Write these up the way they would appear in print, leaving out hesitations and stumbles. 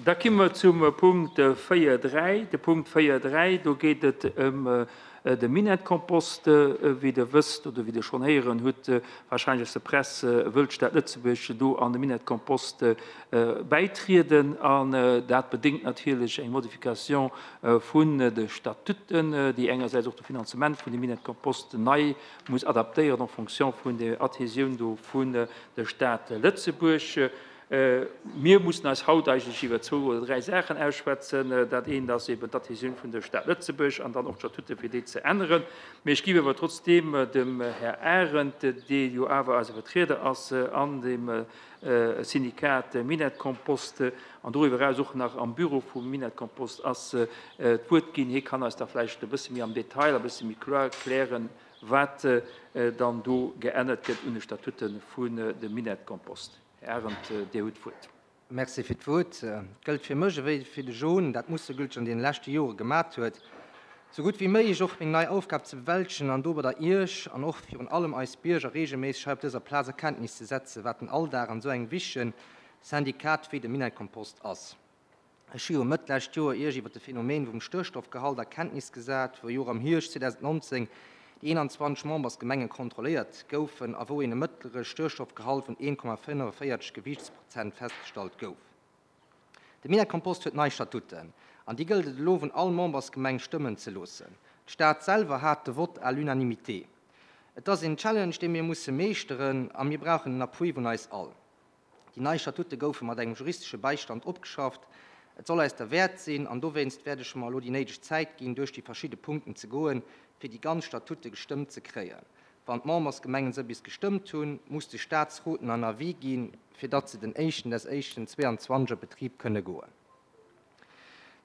Da komme mer zum Punkt 4.3. De Punkt 4.3, do geet et ëm de Minettkompost. Wéi Der wësst oder wéi Der schonn héieren hutt, wahrscheinlech aus der Press, wëllt d'Stad Lëtzebuerg do an de Minettkompost bäitrieden. An dat bedéngt natierlech eng Modification vun de Statuten, déi engersäits och de Finanzement vun dem Minettkompost nei muss adaptéieren en fonction vun der Adhésioun do vun der Stad Lëtzebuerg. Mir mussen eis haut eigentlech iwwer zwou oder dräi Saachen ausschwätzen. Dat eent ass eben d'Adhésioun vun der Stad Lëtzebuerg an dann och d'Statute fir déi ze änneren. Mee ech géif awer trotzdeem dem Här Arendt, dee jo awer eise Vertrieder ass an dem Syndikat Minett-Kompost an doriwwer eraus och nach am Büro vum Minett-Kompost ass, d'Wuert ginn. Hie kann eis da vläicht e bësse méi am Detail a bësse méi kloer erklären, wat dann do geännert gëtt un de Statute vun dem Minett-Kompost. Här Arendt, Dir hutt d'Wuert. Merci fir d'Wuert. Et gëllt fir mech ewéi fir de John, dat Mustergülteg an deene leschte Jore gemat huet, sou gutt wéi méiglech och meng nei Aufgab ze bewältegen an dobadder Iech an och virun allem eis Bierger reegelméisseg hei op dëser Plaz a Kenntnis ze setzen, wat den Alldag an esou engem wichtege Syndikat wéi dem Minett-Kompost ass. Ech hu jo Mëtt lescht Joer Iech iwwer de Phänomen vum Störstoffgehalt a Kenntnis gesat, wou jo och am Hierscht 2019 déi 21 Membersgemenge kontrolléiert goufen a wou een e mëttlere Störstoffgehalt vun 1,45 Gewiichtsprozent festgestallt gouf. De Minett-Kompost huet nei Statuten an déi gëllt et elo vun all Membersgemeng stëmmen ze loossen. D'Stad selwer hat de Vott à l'unanimité. Et ass een Challenge, dee mir musse meeschteren a mir brauchen den Appui vun eis all. Déi nei Statute goufe mat engem juristesche Bäistand opgeschafft. Et soll eis derwäert sinn, an dowéinst wäert ech mer elo déi néideg Zäit ginn, duerch déi verschidde Punkten ze goen, fir déi ganz Statute gestëmmt ze kréien. Wann d'Membersgemengen se bis gestëmmt hunn, muss de Staatsrot en Avis ginn, fir datt se den éischten des éischten 22 a Betrib kënne goen.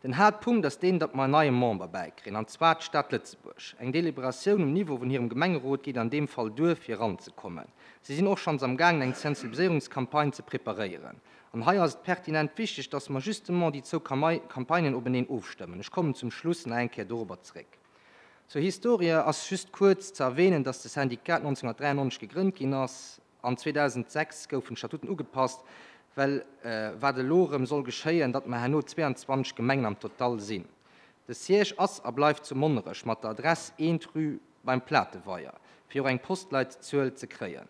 Den Haaptpunkt ass deen, datt mer en neie Member bäikréien, an zwar d'Stad Lëtzebuerg. Eng Deliberatioun um Niveau vun hirem Gemengerot geet an deem Fall duer, fir eranzekommen. Si sinn och schonns am gaangen, eng Sensibiliséierungscampagne ze preparéieren. An hei ass et pertinent wichteg, datt mer justement déi zwou Campagnen openeen ofstëmmen. Ech kommen zum Schluss nach eng Kéier dorobber zréck. Zur Historie ass just kuerz ze erwähnen, datt de Syndicat 1993 gegrënnt ginn ass. An 2006 goufen d'Statuten ugepasst, well wat elo erëm soll geschéien, datt mer herno 22 Gemengen am Total sinn. De Siège ass a bleift zu Monnerech mat der Adress 1 rue Beim Plateweier, fir och eng Postleitzuel ze kréien.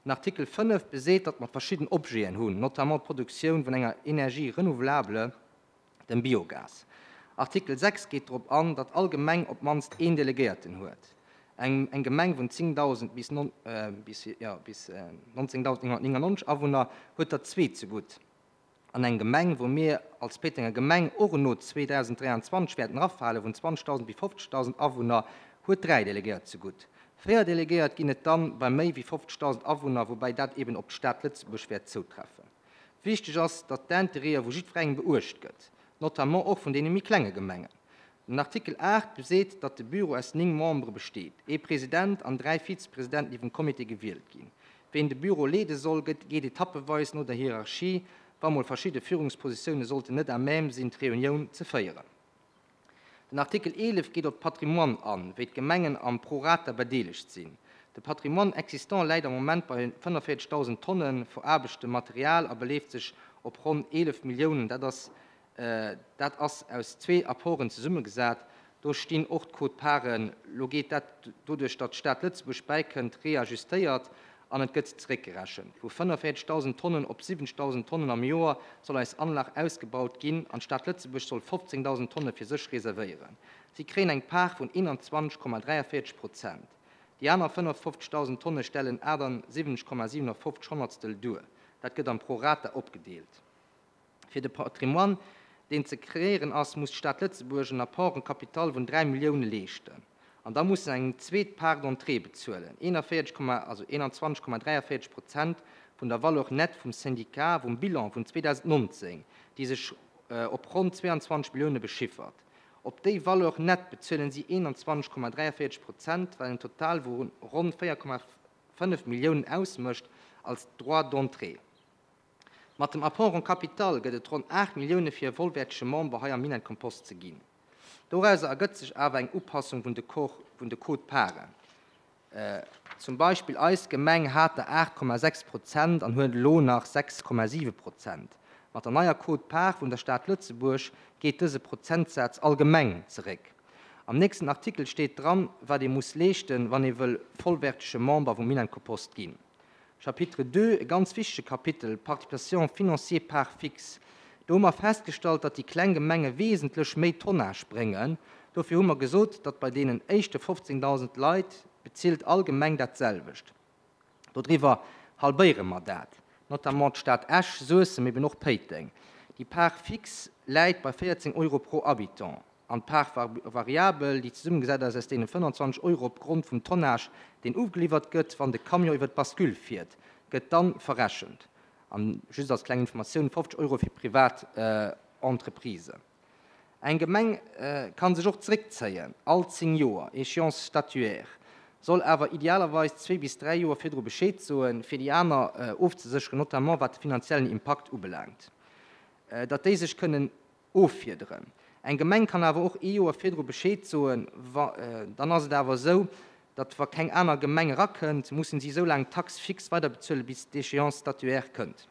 Den Artikel 5 beseet, datt mer verschidden Objeten hunn, notamment d'Produktioun vun enger Énergie renouvelable, Dem Biogas. Artikel 6 geet drop an, datt all Gemeng op d'mannst een Delegéierten huet. Eng eng Gemeng vun 10.000 bis bis jo bis 19.999 Awunner huet der zwee zegutt. An eng Gemeng, wou mir als Péitenger Gemeng och eno 2023 wäerten erafalen, vun 20.000 bis 50.000 Awunner, huet dräi Delegéiert zegutt. Véier Delegéiert ginn et dann bei méi wéi 50.000 Awunner, woubäi dat eben op d'Stad Lëtzebuerg wäert zoutreffen. Wichteg ass, datt d'Intérêtë vu jiddwerengem beuecht gëtt, notamment och vun deene méi klenge Gemengen. Den Artikel 8 beseet, datt de Bureau aus 9 Membere besteet, ee President an 3 Vizepresidenten, déi vum Comité gewielt ginn. Ween de Bureau leede soll, gëtt geet etappeweis no der Hierarchie, wa mol verschidde Führungspositioune sollten net à même sinn, d'Reunioun ze féieren. Den Artikel 11 geet op d'Patrimoine an, wéi d'Gemengen am prorata bedeelegt sinn. De Patrimoine existant läit am Moment bei 45.000 Tonne veraarbechtem Material a beleeft sech op ronn 11 Milliounen. Dat ass dat ass aus zwee Apporten zesummegesat. Do stinn och d'Quote-parten. Lo geet dat, doduerch datt d'Stad Lëtzebuerg bäikënnt, reajustéiert an et gëtt zeréckgerechent. Vu 45.000 Tonnen op 70.000 Tonnen am Joer soll eis Anlag ausgebaut ginn an d'Stad Lëtzebuerg soll 15.000 Tonne fir sech reservéieren. Si kréien eng Part vun 21,43 Prozent. Déi aner 55.000 Tonne stellen 78,57 Honnertstel duer. Dat gëtt am Prorata opgedeelt. Fir de Patrimoine, deen ze kreéieren ass, muss d'Stad Lëtzebuerg en Apport en capital vun 3 Millioune leeschten. An da muss se eng zweet Part d'entrée bezuelen, 41, also 21,43 Prozent vun der Valeur nette vum Syndicat vum Bilan vun 2019, déi sech op ronn 22 Millioune bechiffert. Op déi Valeur nette bezuelen si 21,43 Prozent, wat en Total vu ronn 4,5 Milliounen ausmécht als Droit d'entrée. Mat dem Apport en capital gëtt et ronn 8 Millioune fir e vollwäertege Member hei am Minett-Kompost ze ginn. Dorauser ergëtt sech awer eng Upassung vun de vun de Quote-parten. Zum Beispill eis Gemeng hat der 8,6 Prozent an huet elo nach 6,7 Prozent. Mat der neier Quote-part vun der Stad Lëtzebuerg geet dëse Prozentsaz allgemeng zeréck. Am nächsten Artikel steet dran, wat ee muss leeschten, wann ee wëll vollwärtege Member vum Minenkopost ginn. Chapitre ii, e ganz wichtege Kapitel, Participation financière part fixe. Do hu mer festgestallt, datt déi kleng Gemenge wesentlech méi Tonnage bréngen. Dofir hu mer gesot, datt bei deenen éischte 15.000 Leit bezilt all Gemeng dat selwecht. Dodriwwer halbéiere mer dat, notamment d'Stad Esch, Suessem, eben och Péiteng. Déi Part fixe läit bei 14 Euro pro Habitant an d'Part variabel, déi zesummegesat ass aus deene 25 Euro op Grond vum Tonnage, deen ugeliwwert gëtt, wann de Camion iwwer d'Bascule fiert, gëtt dann verrechent. An just als kleng Informatioun, 50 Euro fir privat Entreprisen. Eng Gemeng ka sech och zeréckzéien, all 10 Joer, Échéance statuaire, soll awer idealerweis zwee bis dräi Joer virdru Bescheed soen, fir déi aner ofzesécheren, notamment wat de finanziellen Impakt ubelaangt, datt déi sech kënnen offiederen. Eng Gemeng kann awer och ee Joer virdru Bescheed soen, dann ass et awer esou, datt wa keng aner Gemeng erakënnt, mussen si esou laang d'Taxe fixe weiderbezuelen, bis d'Échéance statuaire kënnt.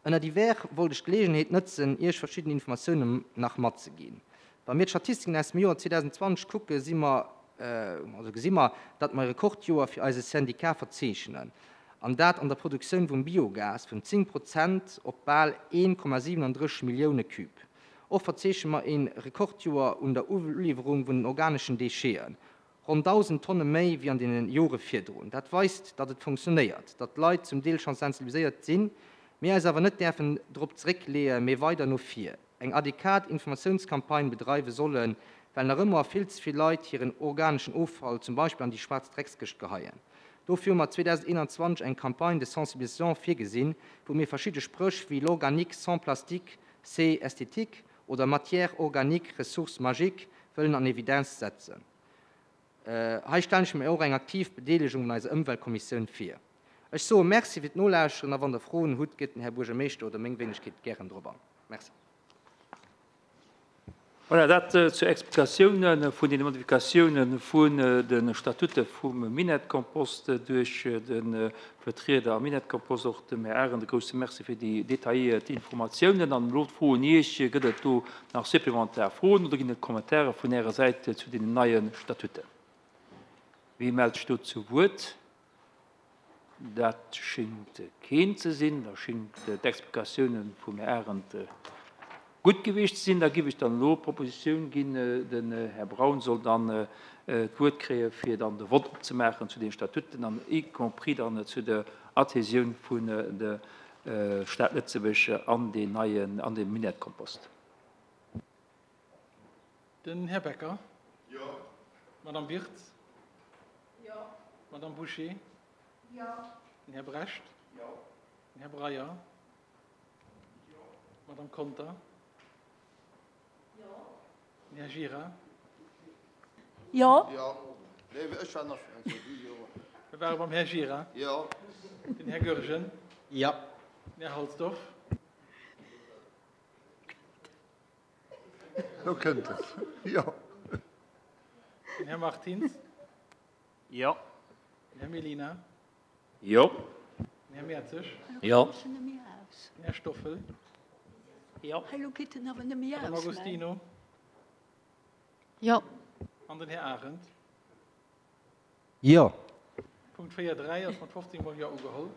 Ënner divers wollt ech d'Geleegenheet nëtzen, Iech verschidden Informatiounen nach matzeginn. Wa mir d'Statistiken aus dem Joer 2020 kucken, si mer, also gesi mer, datt mer e Rekordjoer fir eise Syndicat verzeechnen, an dat an der Produktioun vum Biogas vun 10 Prozent op bal 1,37 Millioune Cube. Och verzeechne mer e Rekordjoer un der Uliwwerung vun den organeschen Décheten, Ronn 1.000 Tonne méi wéi an deene Jore virdrun. Dat weist, datt et funktionéiert, datt d'Leit zum Deel scho sensibiliséiert sinn, mir eis awer net däerfen drop zeréckleeë mee weider no vir eng adequat Informatiounscampagne bedreiwe sollen, well nach ëmmer vill ze vill Leit hiren organeschen Offall zum Beispill an déi schwaarz Dreckskëscht geheien. Dofir hu mer 2021 eng Campagne de sensibilisation virgesinn, wou mir verschidde Spréch wéi L'organique sans plastique, c'est esthétique oder Matière organique, ressource magique wëllen an Evidenz setzen. Hei stellen ech mir och eng aktiv Bedeelegung un eiser Ëmweltkommissioun vir. Ech soe Merci fir d'Nolauschteren a wann Der Froen hutt, geet den Här Buergermeeschter oder meng Wéinegkeet gären drop an. Merci. Voilà, dat zur Explikatioune vun deene Modifikatioune vun de Statute vum Minettkompost duerch de Vertrieder am Minettkompost. Och dem Här Arendt e grouse Merci fir déi detailléiert Informatiounen. An elo d'Fro un Iech, Gëtt et do nach supplementar Froen oder ginn et Kommentare vun Ärer Säit zu deenen neie Statuten? Wie mellt sech do zu Wuert? Dat schéngt keen ze sinn. Da schéngt d'Explikatiounen vum Här Arendt gutt gewiescht ze sinn. Da giff ech dann elo d'Propositioun ginn, den Här Braun soll dann d'Wuert kréie fir dann de Vott opzemaachen zu den Statuten an y compris dann zu der Adhésioun vun der Stad Lëtzebuerg an deen neien, an de Minettkompost. Den Här Becker. Jo. D'Madame Wirtz. Jo. D'Madame Bouché. Jo. Den Här Brecht. Jo. Den Här Breyer. Jo. D'Madame Conter. Jo. Den Här Gira. Jo. Jo. Nee, ech war nach eng Kéier. Jo. Mir ware beim Här Gira. Jo. Den Här Goergen. Jo. Den Här Halsdorf. Lo kënnt et. Jo. Den Här Martins. Jo. Den Här Mellina. Jo. Den Här Mertzig. Jo. Den Här Stoffel. Jo. Madame Agostino. Jo. An den Här Arendt. Jo. Punkt 4.3 ass mat 15 mol Jo ugeholl.